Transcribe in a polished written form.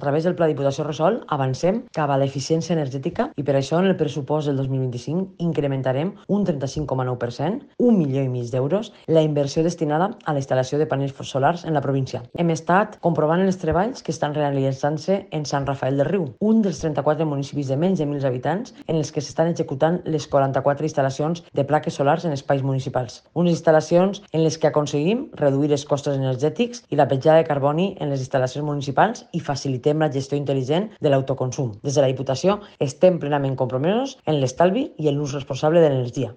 través del Pla Diputació Resol avancem cap a l'eficiència energètica i per això en el pressupost del 2025 incrementarem un 35,9%, 1,5 milions d'euros, la inversió destinada a la instal·lació de panells solars en la província. Hem estat comprovant els treballs que estan realitzant-se en Sant Rafael del Riu, un dels 34 municipis de menys de 1.000 habitants en els que s'estan executant les 44 instal·lacions de plaques solars en espais municipals. Unes instal·lacions en les que aconseguim reduir els costos energètics i la petjada de carboni en les instal·lacions municipals i facilitem la gestió intel·ligent de l'autoconsum. Des de la Diputació estem plenament compromesos en l'estalvi i en l'ús responsable de l'energia.